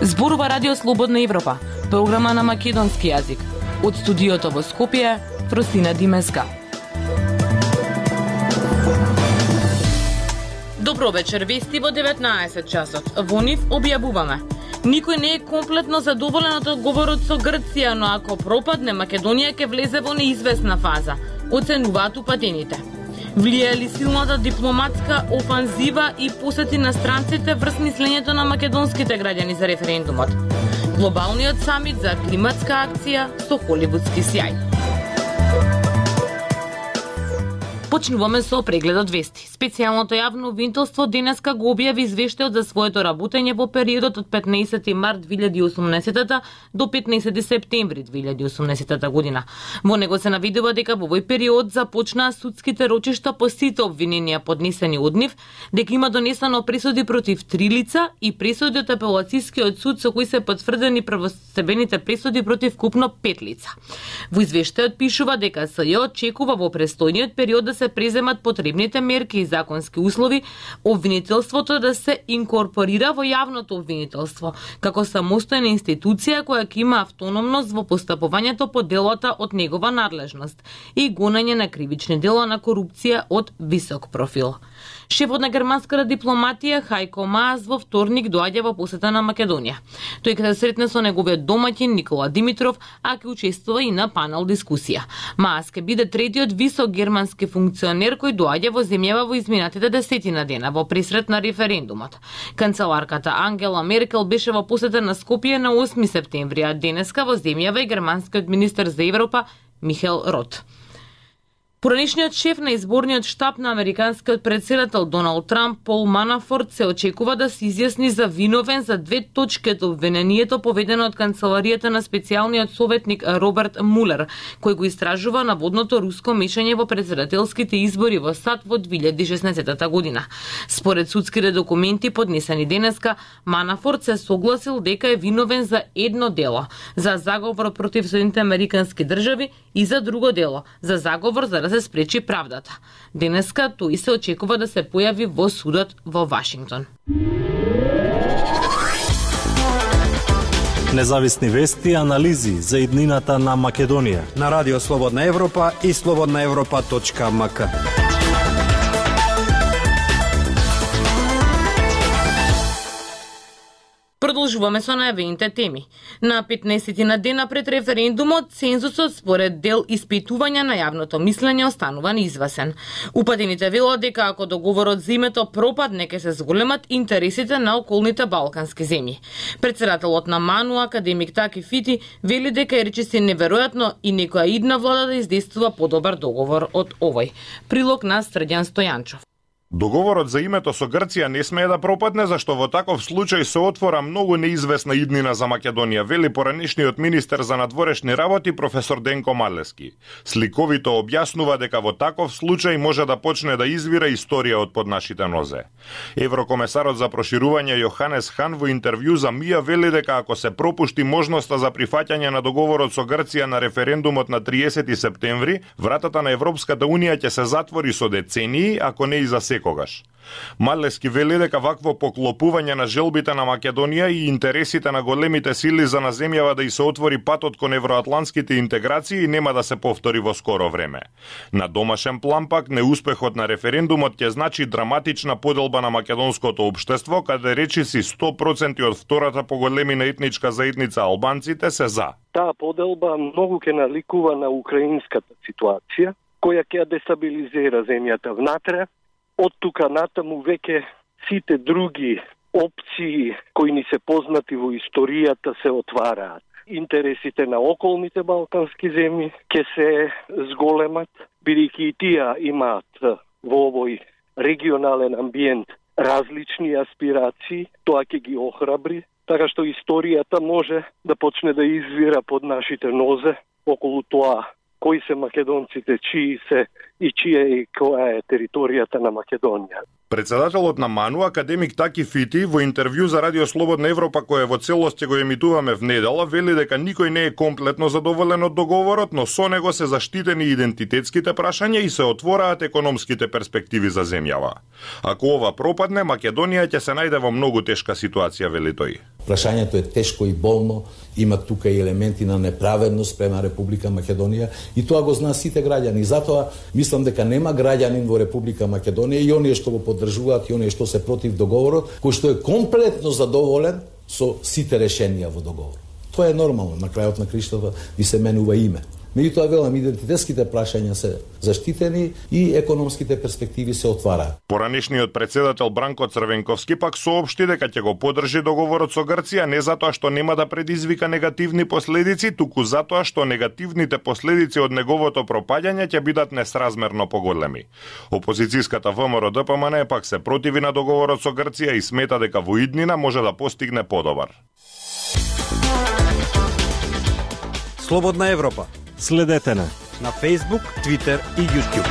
Зборува Радио Слободна Европа, програма на македонски јазик. Од студиото во Скопје, Фросина Димеска. Добро вечер, вести во 19 часот. Во нив објавуваме. Никој не е комплетно задоволен од одговорот со Грција, но ако пропадне, Македонија ќе влезе во неизвестна фаза, оценуваат упатените. Влијае ли силната дипломатска офанзива и посети на странците врз мислењето на македонските граѓани за референдумот? Глобалниот самит за климатска акција со холивудски сјај. Почнуваме со прегледот вести. Специјалното јавно обвинителство денеска го објави извештајот за своето работење во периодот од 15 март 2018 до 15 септември 2018 година. Во него се навидува дека во овој период започнаа судските рочишта по сите обвиненија поднесени од нив, дека има донесено пресуди против 3 лица и пресуди од апелацијскиот суд со кои се потврдени правостебените пресуди против купно 5 лица. Во извештајот пишува дека СЈ очекува во престојниот период да се преземат потребните мерки и законски услови, обвинителството да се инкорпорира во јавното обвинителство, како самостојна институција која ќе има автономност во постапувањето по делата од негова надлежност и гонење на кривични дела на корупција од висок профил. Шефот на германската дипломатија Хајко Маас во вторник доаѓа во посета на Македонија. Тој ќе се сретне со неговиот домаќин Никола Димитров, а ќе учествува и на панел дискусија. Маас ќе биде третиот висок германски функционер кој доаѓа во земјава во изминатите 10 дена во пресрет на референдумот. Канцеларката Ангела Меркел беше во посета на Скопје на 8 септември, а денеска во земјава и германскиот министер за Европа Михел Рот. Поранишниот шеф на изборниот штаб на американскиот претседател Доналд Трамп, Пол Манафорт, се очекува да се изјасни за виновен за 2 точки од обвинението поведено од канцеларијата на специјалниот советник Роберт Мулер, кој го истражува наводното руско мешање во претседателските избори во САД во 2016 година. Според судските документи поднесени денеска, Манафорт се согласил дека е виновен за едно дело, за заговор против Соединените американски држави и за друго дело, за заговор за да се спречи правдата. Денеска тој се очекува да се појави во судот во Вашингтон. Независни вести и анализи за иднината на Македонија на Радио Слободна Европа и slobodnaevropa.mk. Продолжуваме со најавените теми. На 15 дена пред референдумот, цензусот според дел испитувања на јавното мислење останува неизвесен. Упатените велат дека ако договорот за името пропадне, ќе се зголемат интересите на околните балкански земји. Претседателот на МАНУ, академик Таки Фити, вели дека е речиси неверојатно и некоја идна влада да издействува подобар договор од овој. Прилог на Срđan Стојанчов. Договорот за името со Грција не смее да пропадне, зашто во таков случај се отвора многу неизвестна иднина за Македонија, вели поранишниот министер за надворешни работи професор Денко Малески. Сликовито објаснува дека во таков случај може да почне да извира историја од под нашите нозе. Еврокомесарот за проширување Јоханес Хан во интервју за МИА вели дека ако се пропушти можноста за прифаќање на договорот со Грција на референдумот на 30 септември, вратата на Европската Унија ќе се затвори со децении, ако не и за секогаш. Малески вели дека вакво поклопување на желбите на Македонија и интересите на големите сили за на земјава да и се отвори патот кон евроатлантските интеграции нема да се повтори во скоро време. На домашен план пак, неуспехот на референдумот ќе значи драматична поделба на македонското општество, каде речиси 100% од втората по големина етничка заедница албанците се за. Таа поделба многу ќе наликува на украинската ситуација, која ќе дестабилизира земјата внатре. Од тука натаму веќе сите други опции кои ни се познати во историјата се отвараат. Интересите на околните балкански земји ќе се зголемат, бидејќи и тие имаат во овој регионален амбиент различни аспирации, тоа ќе ги охрабри, така што историјата може да почне да извира под нашите нозе околу тоа кои се македонците, чии се и чија и која е територијата на Македонија. Председателот на МАНУ, академик Таки Фити, во интервју за Радио Слободна Европа, кој во целост ќе го емитуваме в недела, вели дека никој не е комплетно задоволен од договорот, но со него се заштитени идентитетските прашања и се отвораат економските перспективи за земјава. Ако ова пропадне, Македонија ќе се најде во многу тешка ситуација, вели тој. Прашањето е тешко и болно, има тука и елементи на неправедност према Република Македонија и тоа го знаат сите граѓани. Затоа мислам дека нема граѓанин во Република Македонија и оние што го поддржуваат и оние што се против договорот, кој што е комплетно задоволен со сите решенија во договорот. Тоа е нормално, на крајот на криштата ви се менува име. Меѓутоа, велам, идентитетските прашања се заштитени и економските перспективи се отвараат. Поранешниот председател Бранко Црвенковски пак соопшти дека ќе го поддржи договорот со Грција не затоа што нема да предизвика негативни последици, туку затоа што негативните последици од неговото пропаѓање ќе бидат несразмерно поголеми. Опозицијската ВМРО ДПМН пак се противи на договорот со Грција и смета дека во иднина може да постигне подобар. Слободна Европа. Следете на Facebook, Twitter и YouTube.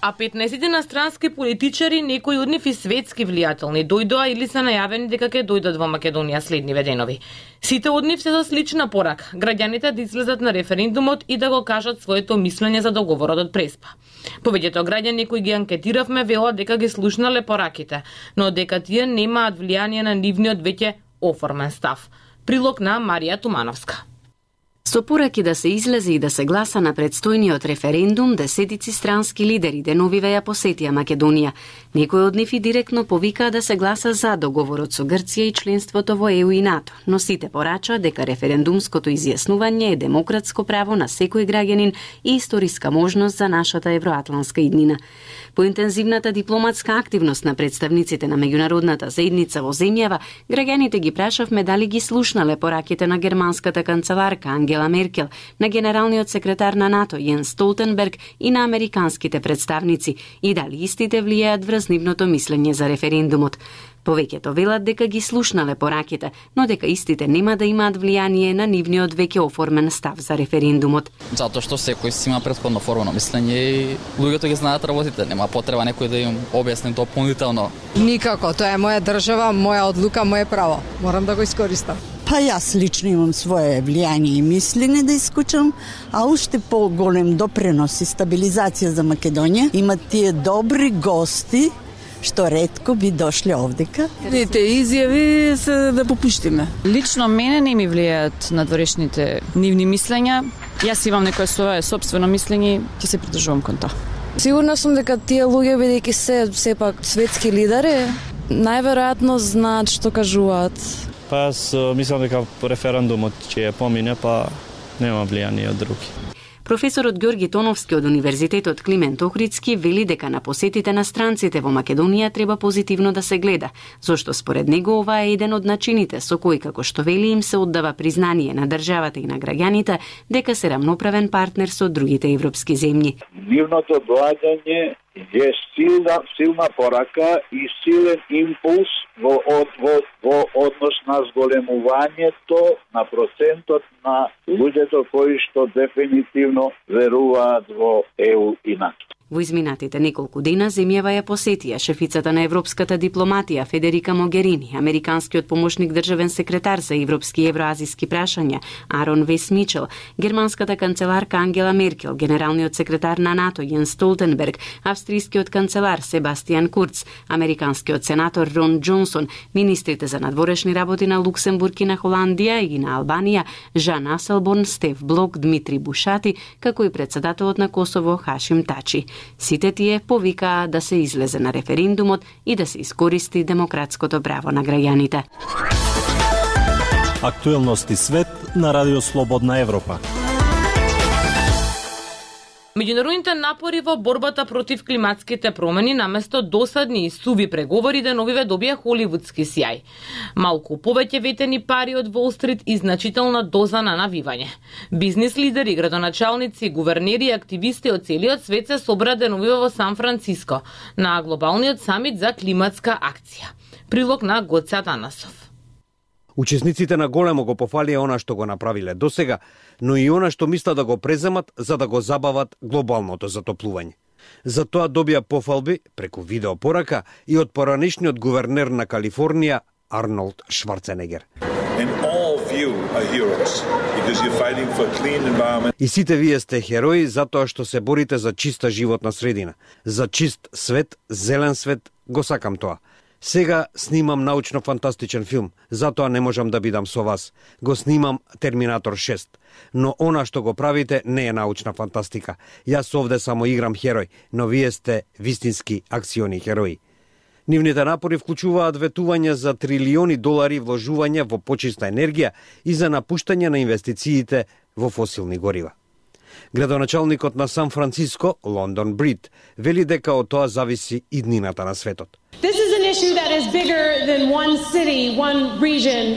А 15 инострански политичари, некои од нив и светски влијателни, дојдоа или се најавени дека ќе дојдат во Македонија следниве денови. Сите од нив се со слична порака: граѓаните да излезат на референдумот и да го кажат своето мислење за договорот од Преспа. Повеќето граѓани кои ги анкетиравме велат дека ги слушнале пораките, но дека тие немаат влијание на нивниот веќе оформен став. Прилог на Марија Тумановска. Со пораки да се излезе и да се гласа на предстојниот референдум, десетици странски лидери деновиве ја посетија Македонија. Некои од нив и директно повикаа да се гласа за договорот со Грција и членството во ЕУ и НАТО, но сите порачаа дека референдумското изјаснување е демократско право на секој граѓанин и историска можност за нашата евроатланска иднина. По интензивната дипломатска активност на представниците на меѓународната заедница во земјава, граѓаните ги прашавме дали ги слушнале пораките на германската канцеларка Ангела Меркел, на генералниот секретар на НАТО Јенс Столтенберг и на американските представници и дали истите влијаат врз нивното мислење за референдумот. Повеќето велат дека ги слушнале пораките, но дека истите нема да имаат влијание на нивниот веќе оформен став за референдумот. Затоа што секој си има претходно оформено мислење и луѓето ги знаат работите, нема потреба некој да им објасни дополнително. Никако, тоа е моја држава, моја одлука, моje право. Морам да го искористам. Па јас лично имам свое влијание и мислење да искучам, а уште поголем допренос и стабилизација за Македонија имат тие добри гости што ретко би дошле овдека. Те изјави се да попуштиме. Лично мене не ми влијаат надворешните нивни мислења. Јас имам некое свое собствено мислење, ќе се придржувам кон тоа. Сигурна сум дека тие луѓе, бидејќи се сепак светски лидери, најверојатно знаат што кажуваат. Па јас мислам дека референдумот ќе помине, па нема влијание од други. Професорот Ѓорги Тоновски од Универзитетот Климент Охридски вели дека на посетите на странците во Македонија треба позитивно да се гледа, зашто според него ова е еден од начините со кои, како што вели, им се оддава признание на државата и на граѓаните дека се рамноправен партнер со другите европски земји. Нивното доаѓање е силна порака и силен импулс во однос на зголемувањето на процентот на луѓето кои што дефинитивно веруваат во ЕУ и НАТО. Во изминатите неколку дена земјава ја посетија шефицата на европската дипломатија Федерика Могерини, американскиот помошник државен секретар за европски и евроазиски прашања Арон Вес Мичел, германската канцеларка Ангела Меркел, генералниот секретар на НАТО Јенс Столтенберг, австрискиот канцелар Себастијан Курц, американскиот сенатор Рон Џонсон, министрите за надворешни работи на Луксембург и на Холандија и на Албанија Жан Аселборн, Стеф Блок, Дмитри Бушати, како и претседателот на Косово Хашим Тачи. Сите тие повикаа да се излезе на референдумот и да се искористи демократското право на граѓаните. Актуелности свет на Радио Слободна Европа. Меѓународните напори во борбата против климатските промени наместо досадни и суви преговори деновиве добија холивудски сјај. Малку повеќе ветени пари од Wall Street и значителна доза на навивање. Бизнис лидери, градоначалници, гувернери и активисти од целиот свет се собраа деновиве во Сан Франциско на глобалниот самит за климатска акција. Прилог на Гоце Атанасов. Учесниците на големо го пофалија она што го направиле досега, но и она што мислат да го преземат за да го забават глобалното затоплување. За тоа добија пофалби преку видеопорака и од поранешниот гувернер на Калифорнија Арнолд Шварценегер. you are heroes because you're fighting for a clean environment. И сите вие сте херои затоа што се борите за чиста животна средина, за чист свет, зелен свет, го сакам тоа. Сега снимам научно-фантастичен филм, затоа не можам да бидам со вас. Го снимам Терминатор 6. Но она што го правите не е научна фантастика. Јас овде само играм херој, но вие сте вистински акциони херои. Нивните напори вклучуваат ветување за трилиони долари вложување во почиста енергија и за напуштање на инвестициите во фосилни горива. Градоначалникот на Сан Франциско, Лондон Брид, вели дека од тоа зависи иднината на светот.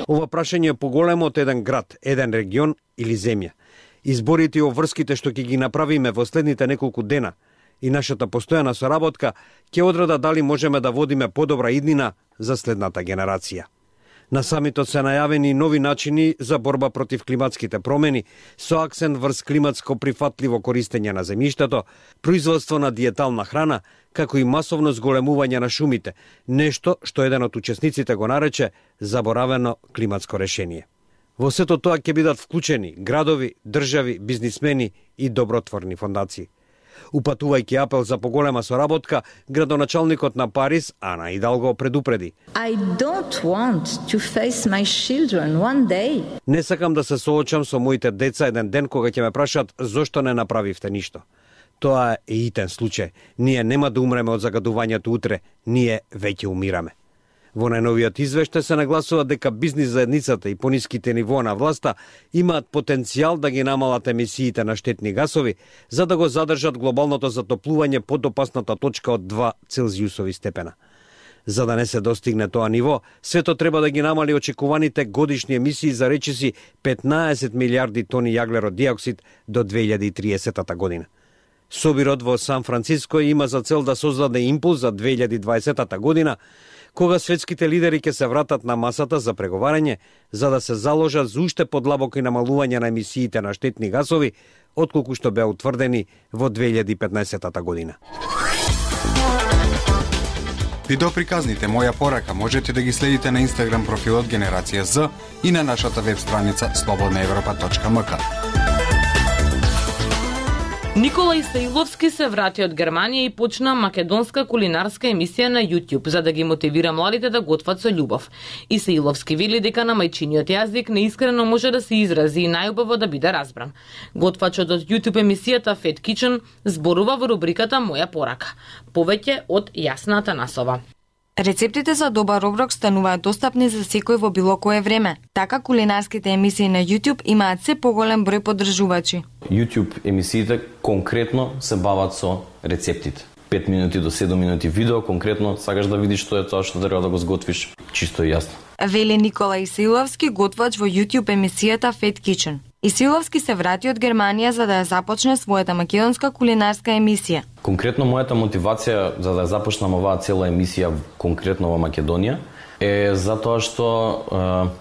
Ова прашање е поголемо од еден град, еден регион или земја. Изборите и обврските што ќе ги направиме во следните неколку дена и нашата постојана соработка ќе одреда дали можеме да водиме подобра иднина за следната генерација. На самитот се најавени нови начини за борба против климатските промени, со акцент врз климатско прифатливо користење на земјиштето, производство на диетална храна, како и масовно зголемување на шумите, нешто што еден од учесниците го нарече заборавено климатско решение. Во сето тоа ќе бидат вклучени градови, држави, бизнисмени и добротворни фондации. Упатувајќи апел за поголема соработка, градоначалникот на Париз, Ана Идалго, предупреди. Не сакам да се соочам со моите деца еден ден кога ќе ме прашат зошто не направивте ништо. Тоа е итен случај. Ние нема да умреме од загадувањето утре, ние веќе умираме. Во најновиот извештај се нагласува дека бизнис заедницата и пониските нивоа на власта имаат потенцијал да ги намалат емисиите на штетни гасови, за да го задржат глобалното затоплување под опасната точка од 2 Целзиусови степена. За да не се достигне тоа ниво, светот треба да ги намали очекуваните годишни емисии за речиси 15 милиарди тони јаглерод диоксид до 2030 година. Собирот во Сан Франциско има за цел да создаде импулс за 2020 година, кога светските лидери ќе се вратат на масата за преговарање, за да се заложат за уште подлабоко и намалување на емисиите на штетни гасови, отколку што беа утврдени во 2015 година. Видеоприказните Моја порака можете да ги следите на Инстаграм профилот Генерација З и на нашата веб страница slobodnaevropa.mk. Никола Исаиловски се врати од Германија и почна македонска кулинарска емисија на YouTube за да ги мотивира младите да готват со љубов. Исаиловски вели дека на мајчиниот јазик неискрено може да се изрази и најубаво да биде разбран. Готвачот од YouTube емисијата Fat Kitchen зборува во рубриката Моја порака. Повеќе од Јасна Атанасова. Рецептите за добар оброк стануваат достапни за секој во било кое време. Така кулинарските емисии на YouTube имаат се поголем број поддржувачи. YouTube емисиите конкретно се бават со рецептите. 5 минути до 7 минути видео, конкретно сакаш да видиш што е тоа што треба да го сготвиш, чисто и јасно. Вели Никола Исаиловски, готвач во YouTube емисијата Fat Kitchen. Исаиловски се врати од Германија за да ја започне својата македонска кулинарска емисија. Конкретно мојата мотивација за да ја започнам оваа цела емисија конкретно во Македонија е затоа што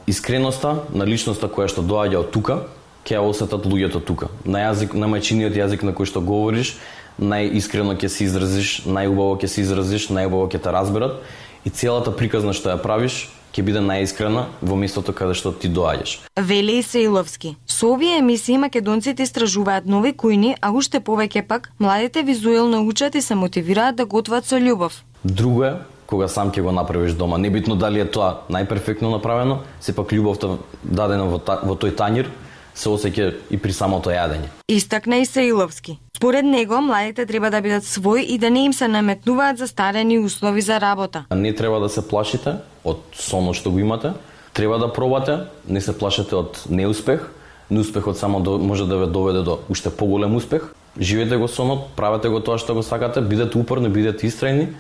искреноста на личноста која што доаѓа од тука ќе ја осетат луѓето тука. На јазик, на мајчиниот јазик на кој што говориш, најискрено ќе се изразиш, најубаво ќе се изразиш, најубаво ќе те разберат и целата приказна што ја правиш ќе биде најискрена во местото каде што ти доаѓаш. Вели Исаиловски. Со овие емисии македонците истражуваат нови кујни, а уште повеќе пак младите визуелно учат и се мотивираат да готват со љубов. Друго е кога сам ќе го направиш дома. Небитно дали е тоа најперфектно направено, сепак љубовта дадена во тој тањир се осеќа и при самото јадење. Истакна Исаиловски. Според него, младите треба да бидат своји и да не им се наметнуваат застарени услови за работа. Не треба да се плашите од сонот што го имате, треба да пробате, не се плашете од неуспех, неуспехот само може да ве доведе до уште поголем успех. Живеете го сонот, правете го тоа што го сакате, бидете упорни, бидете истрајни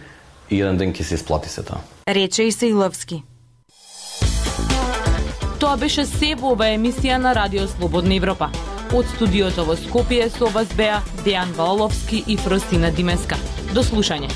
и еден ден ќе се исплати се тоа. Рече Исаиловски. Тоа беше се во оваа емисија на Радио Слободна Европа. Од студиото во Скопје со вас беа Дејан Валовски и Фростина Димеска. До слушање.